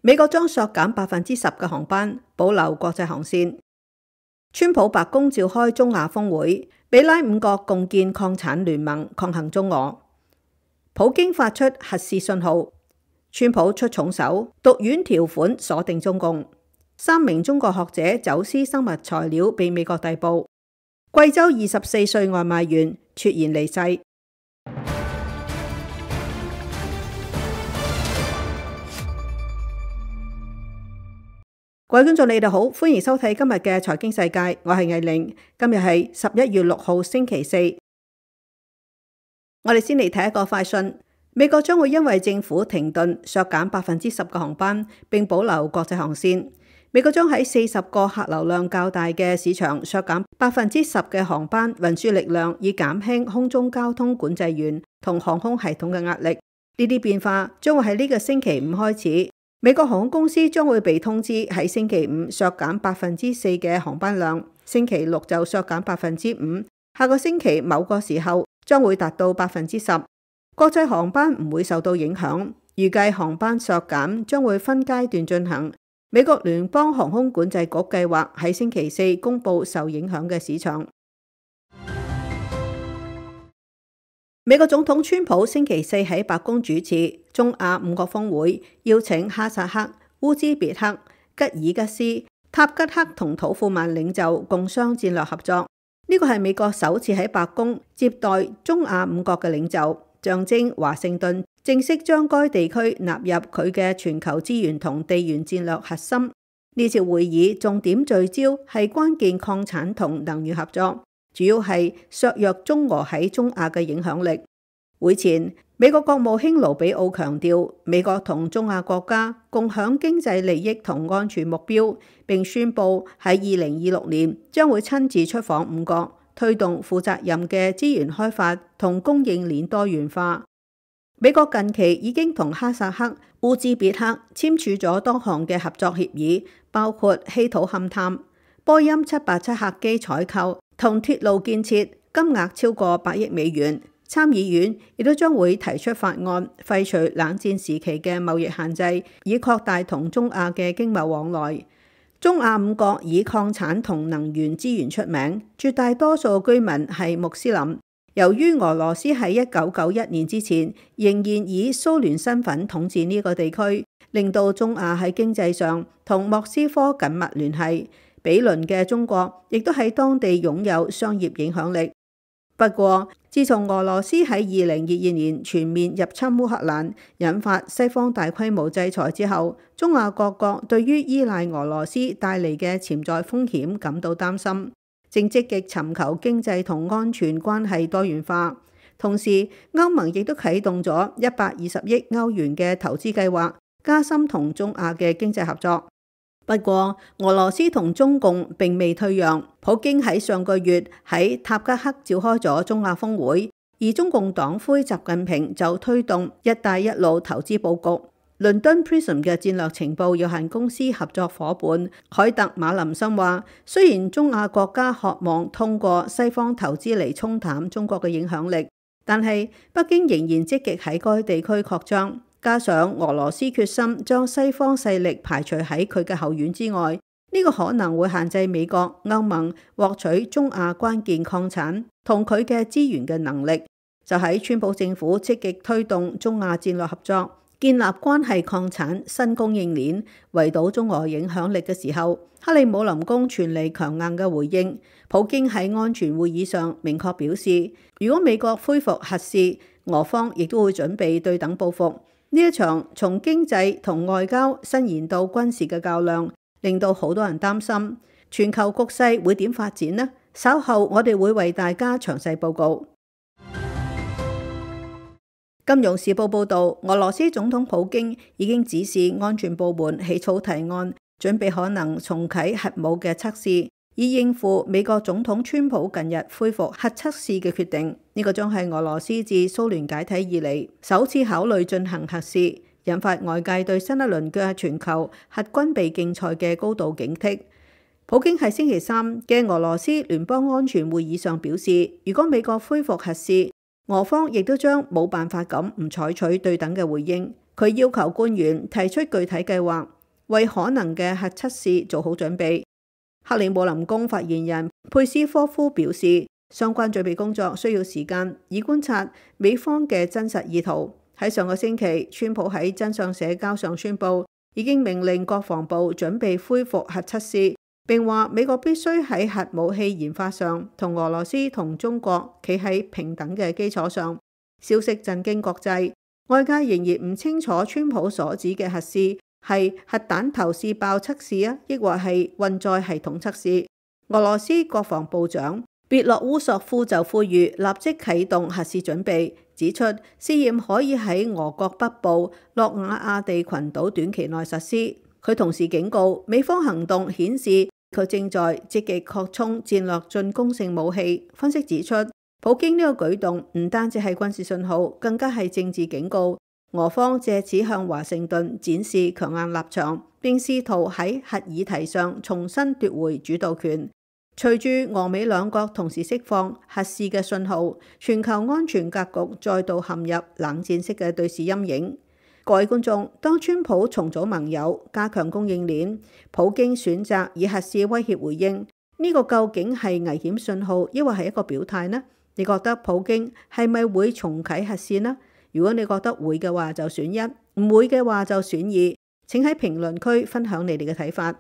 美國將削減10%嘅航班，保留國際航線。川普白宮召開中亞峰會，比拉5國共建礦產聯盟，抗衡中俄。普京發出核試信號，川普出重手，毒丸條款鎖定中共。3名中國學者走私生物材料被美國逮捕。貴州24歲外賣員猝然離世。各位觀眾，你哋好，歡迎收睇今日嘅財經世界，我係藝玲。今日係11月6號星期四。我哋先嚟睇一個快訊。美國將會因為政府停頓削減10%嘅航班，並保留國際航線。美國將喺40個客流量較大嘅市場削減10%嘅航班運輸力量，以減輕空中交通管制員同航空系統嘅壓力。呢啲變化將會喺呢個星期五開始。美國航空公司將會被通知喺星期五削減4%嘅航班量，星期六就削減5%，下個星期某個時候將會達到10%。國際航班唔會受到影響，預計航班削減將會分階段進行。美國聯邦航空管制局計劃喺星期四公佈受影響嘅市場。美國總統川普星期四喺白宮主持中亞5國峰會，邀請哈薩克、烏茲別克、吉爾吉斯、塔吉克同土庫曼領袖共商戰略合作。呢個係美國首次喺白宮接待中亞5國嘅領袖，象徵華盛頓正式將該地區納入佢嘅全球資源同地緣戰略核心。呢次會議重點聚焦係關鍵礦產同能源合作，主要係削弱中俄喺中亞嘅影響力。會前，美國國務卿盧比奧強調，美國同中亞國家共享經濟利益同安全目標，並宣布喺2026年將會親自出訪5國，推動負責任嘅資源開發同供應鏈多元化。美國近期已經同哈薩克、烏茲別克簽署咗多項嘅合作協議，包括稀土勘探、波音787客機採購同鐵路建設，金額超過8億美元。參議院亦都將會提出法案，廢除冷戰時期嘅貿易限制，以擴大同中亞嘅經貿往來。中亞5國以礦產同能源資源出名，絕大多數居民係穆斯林。由於俄羅斯喺1991年之前仍然以蘇聯身份統治呢個地區，令到中亞喺經濟上同莫斯科緊密聯繫。比鄰嘅中國亦都喺當地擁有商業影響力。不過，自從俄羅斯喺2022年全面入侵烏克蘭，引發西方大規模制裁之後，中亞各國對於依賴俄羅斯帶嚟嘅潛在風險感到擔心，正積極尋求經濟同安全關係多元化。同時，歐盟亦都啟動咗120億歐元嘅投資計劃，加深同中亞嘅經濟合作。不過，俄羅斯同中共並未退讓。普京喺上個月喺塔吉克召開咗中亞峰會，而中共黨魁習近平就推動一帶一路投資佈局。倫敦 Prism 嘅戰略情報有限公司合作夥伴凱特馬林森話，雖然中亞國家渴望通過西方投資嚟沖淡中國嘅影響力，但係北京仍然積極喺該地區擴張。加上俄羅斯決心將西方勢力排除喺佢嘅後院之外，呢個可能會限制美國、歐盟獲取中亞關鍵礦產同佢嘅資源嘅能力。就喺川普政府積極推動中亞戰略合作，建立關係礦產新供應鏈，圍堵中俄影響力嘅時候，克里姆林宮傳嚟強硬嘅回應。普京喺安全會議上明確表示，如果美國恢復核試，俄方亦都會準備對等報復。呢一場從經濟同外交伸延到軍事嘅較量，令到好多人擔心全球局勢會點發展呢？稍後我哋會為大家詳細報告。金融時報報導，俄羅斯總統普京已經指示安全部門起草提案，準備可能重啟核武嘅測試，以應付美國總統川普近日恢復核測試嘅決定。呢個將係俄羅斯自蘇聯解體以嚟首次考慮進行核試，引發外界對新一輪嘅全球核軍備競賽嘅高度警惕。普京喺星期三嘅俄羅斯聯邦安全會議上表示，如果美國恢復核試，俄方亦都將冇辦法咁唔採取對等嘅回應。佢要求官員提出具體計劃，為可能嘅核測試做好準備。克里姆林宮發言人佩斯科夫表示，相關準備工作需要時間，以觀察美方嘅真實意圖。喺上個星期，川普喺真相社交上宣布，已經命令國防部準備恢復核測試，並話美國必須喺核武器研發上同俄羅斯同中國企喺平等嘅基礎上。消息震驚國際，外界仍然唔清楚川普所指嘅核試係核彈頭試爆測試啊，抑或係運載系統測試。俄羅斯國防部長別洛烏索夫就呼籲立即啟動核試準備，指出試驗可以喺俄國北部諾瓦亞地群島短期內實施。佢同時警告，美方行動顯示佢正在積極擴充戰略進攻性武器。分析指出，普京呢個舉動唔單止係軍事信號，更加係政治警告。俄方借此向華盛頓展示強硬立場，並試圖喺核議題上重新奪回主導權。隨住俄美兩國同時釋放核試嘅信號，全球安全格局再度陷入冷戰式嘅對視陰影。各位觀眾，當川普重組盟友、加強供應鏈，普京選擇以核試威脅回應，呢個究竟係危險信號，抑或係一個表態呢？你覺得普京係咪會重啟核試呢？如果你覺得會嘅話，就選一；唔會嘅話，就選二。請喺評論區分享你哋嘅睇法。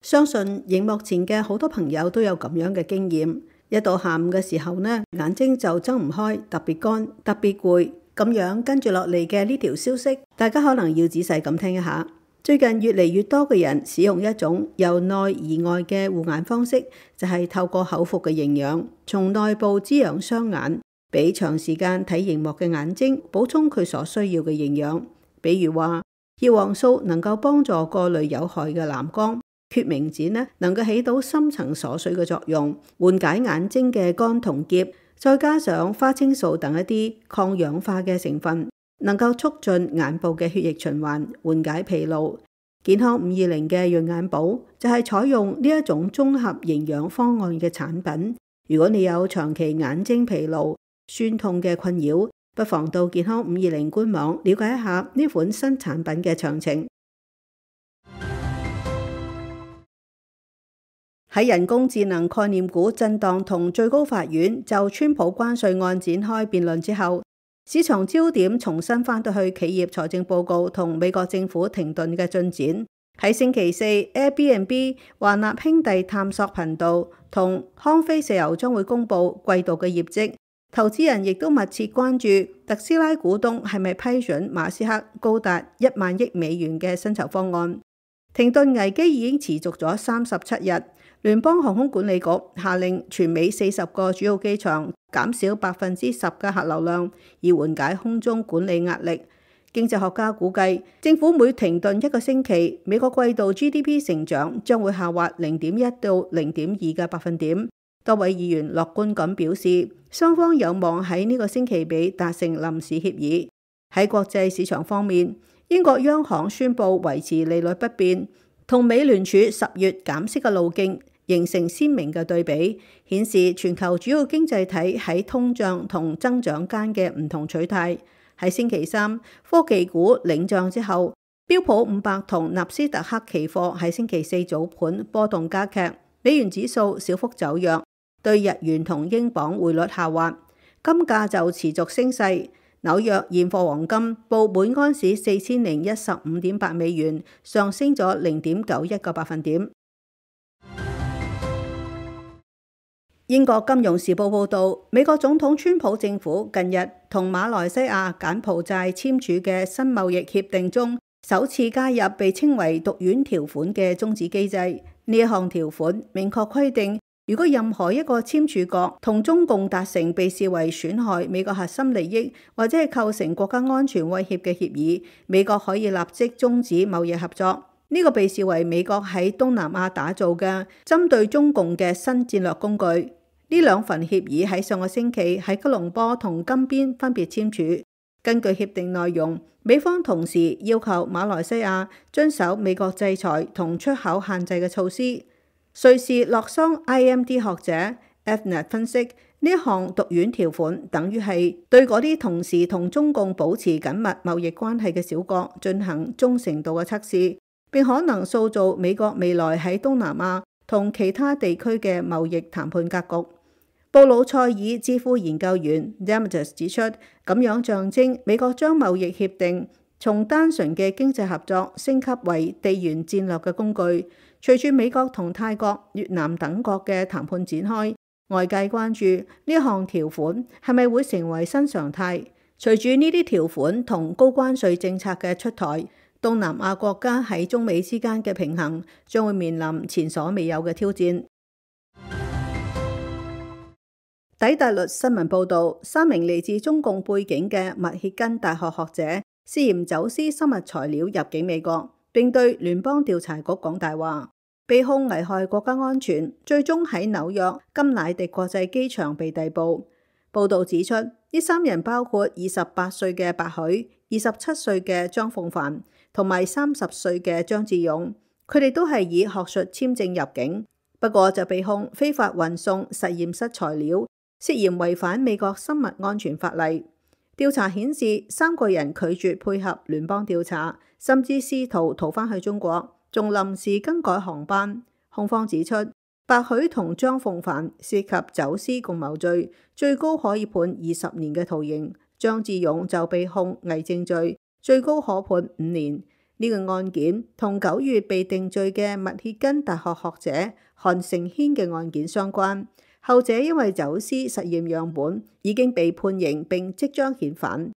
相信熒幕前嘅好多朋友都有咁樣嘅經驗，一到下午嘅時候呢，眼睛就睜唔開，特別乾，特別攰。咁樣跟住落嚟嘅呢條消息，大家可能要仔細咁聽一下。最近越嚟越多嘅人使用一種由內而外嘅護眼方式，就係透過口服嘅營養，從內部滋養雙眼，俾長時間睇熒幕嘅眼睛補充佢所需要嘅營養。比如話，葉黃素能夠幫助過濾有害嘅藍光。決明子呢，能夠起到深層鎖水嘅作用，緩解眼睛嘅乾同澀，再加上花青素等一啲抗氧化嘅成分，能夠促進眼部嘅血液循環，緩解疲勞。健康520嘅潤眼寶就係採用呢一種綜合營養方案嘅產品。如果你有長期眼睛疲勞、酸痛嘅困擾，不妨到健康520官網了解一下呢款新產品嘅詳情。喺人工智能概念股震盪同最高法院就川普關稅案展開辯論之後，市場焦點重新返到去企業財政報告同美國政府停頓嘅進展。喺星期四 ，Airbnb、華納兄弟探索頻道同康菲石油將會公布季度嘅業績，投資人亦都密切關注特斯拉股東係咪批准馬斯克高達1萬億美元嘅薪酬方案。停頓危機已經持續咗37日。聯邦航空管理局下令全美40個主要機場減少10%嘅客流量，以緩解空中管理壓力。經濟學家估計，政府每停頓1個星期，美國季度 GDP 成長將會下滑0.1到0.2嘅百分點。多位議員樂觀咁表示，雙方有望喺呢個星期尾達成臨時協議。喺國際市場方面，英國央行宣布維持利率不變，同美聯儲10月減息嘅路徑形成鮮明嘅對比，顯示全球主要經濟體喺通脹同增長間嘅唔同取態。喺星期三，科技股領漲之後，標普500同納斯達克期貨喺星期四早盤波動加劇，美元指數小幅走弱，對日元同英鎊匯率下滑，金價就持續升勢。紐約現貨黃金報每安士4015.8美元，上升咗0.91個百分點。英國金融時報報導，美國總統川普政府近日同馬來西亞、柬埔寨簽署嘅新貿易協定中，首次加入被稱為毒丸條款嘅終止機制。呢一項條款明確規定，如果任何一個簽署國同中共達成被視為損害美國核心利益或者係構成國家安全威脅嘅協議，美國可以立即終止貿易合作。呢個被視為美國喺東南亞打造嘅針對中共嘅新戰略工具。呢兩份協議喺上個星期喺吉隆坡同金邊分別簽署。根據協定內容，美方同時要求馬來西亞遵守美國制裁同出口限制嘅措施。瑞士洛桑 IMD 學者 Fnet 分析，呢一項毒丸條款等於係對嗰啲同時同中共保持緊密貿易關係嘅小國進行忠誠度嘅測試，並可能塑造美國未來喺東南亞同其他地區嘅貿易談判格局。布魯塞爾智庫研究員 Demetrius 指出，咁樣象徵美國將貿易協定從單純嘅經濟合作升級為地緣戰略嘅工具。隨住美國同泰國、越南等國嘅談判展開，外界關注呢項條款係咪會成為新常態。隨住呢啲條款同高關稅政策嘅出台，東南亞國家喺中美之間嘅平衡將會面臨前所未有嘅挑戰。底特律新聞報導，3名嚟自中共背景嘅密歇根大學學者涉嫌走私生物材料入境美國，並對聯邦調查局講大話，被控危害國家安全，最終喺紐約金乃迪國際機場被逮捕。報導指出，呢3人包括28歲嘅白許、27歲嘅張鳳帆同埋30歲嘅張志勇，佢哋都係以學術簽證入境，不過就被控非法運送實驗室材料，涉嫌違反美國生物安全法例。調查顯示，3個人拒絕配合聯邦調查，甚至試圖逃返去中國，仲臨時更改航班。控方指出，白許同張鳳帆涉及走私共謀罪，最高可以判20年嘅徒刑；張志勇就被控偽證罪，最高可判5年。呢個案件同9月被定罪嘅密歇根大學學者韓成軒嘅案件相關。後者因為走私實驗樣本已經被判刑並即將遣返。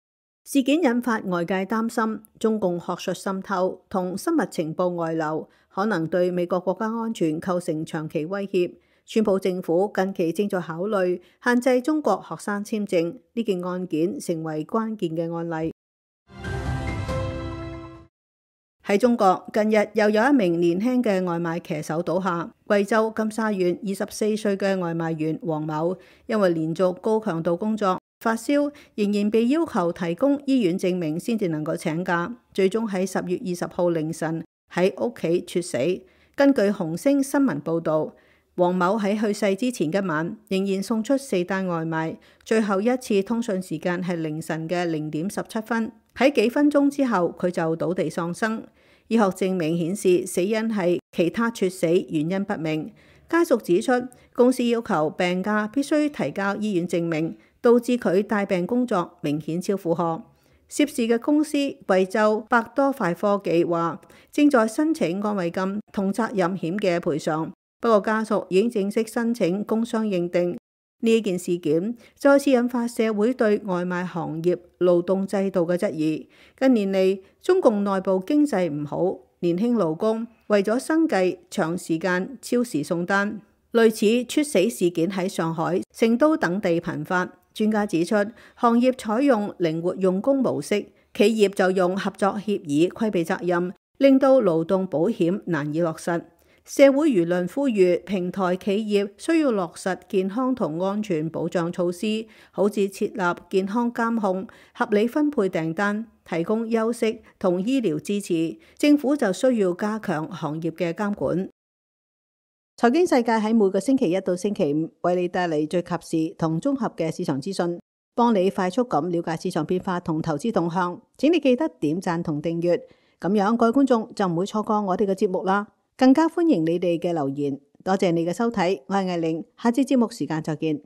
事件引發外界擔心，中共學術滲透同生物情報外流可能對美國國家安全構成長期威脅。川普政府近期正在考慮限制中國學生簽證，呢件案件成為關鍵嘅案例。喺中國，近日又有一名年輕嘅外賣騎手倒下。貴州金沙縣24歲嘅外賣員黃某，因為連續高強度工作發燒，仍然被要求提供醫院證明先至能夠請假，最終喺10月20號凌晨喺屋企猝死。根據紅星新聞報導，黃某喺去世之前一晚仍然送出4單外賣，最後一次通訊時間係凌晨嘅0點17分。喺幾分鐘之後，佢就倒地喪生。醫學證明顯示死因係其他猝死，原因不明。家屬指出，公司要求病假必須提交醫院證明，導致佢帶病工作明顯超負荷。涉事嘅公司貴州百多快科技話，正在申請安慰金同責任險嘅賠償，不過家屬已經正式申請工傷認定。呢件事件再次引發社會對外賣行業勞動制度嘅質疑。近年嚟，中共內部經濟唔好，年輕勞工為咗生計長時間超時送單，類似猝死事件喺上海、成都等地頻發。專家指出，行業採用靈活用工模式，企業就用合作協議規避責任，令到勞動保險難以落實。社會輿論呼籲平台企業需要落實健康同安全保障措施，好似設立健康監控、合理分配訂單、提供休息同醫療支持。政府就需要加強行業嘅監管。財經世界喺每個星期1到星期5為你帶嚟最及時同綜合嘅市場資訊，幫你快速咁了解市場變化同投資動向。請你記得點讚同訂閱，咁樣各位觀眾就唔會錯過我哋嘅節目啦。更加歡迎你哋嘅留言，多謝你嘅收睇，我係艾玲，下次節目時間再見。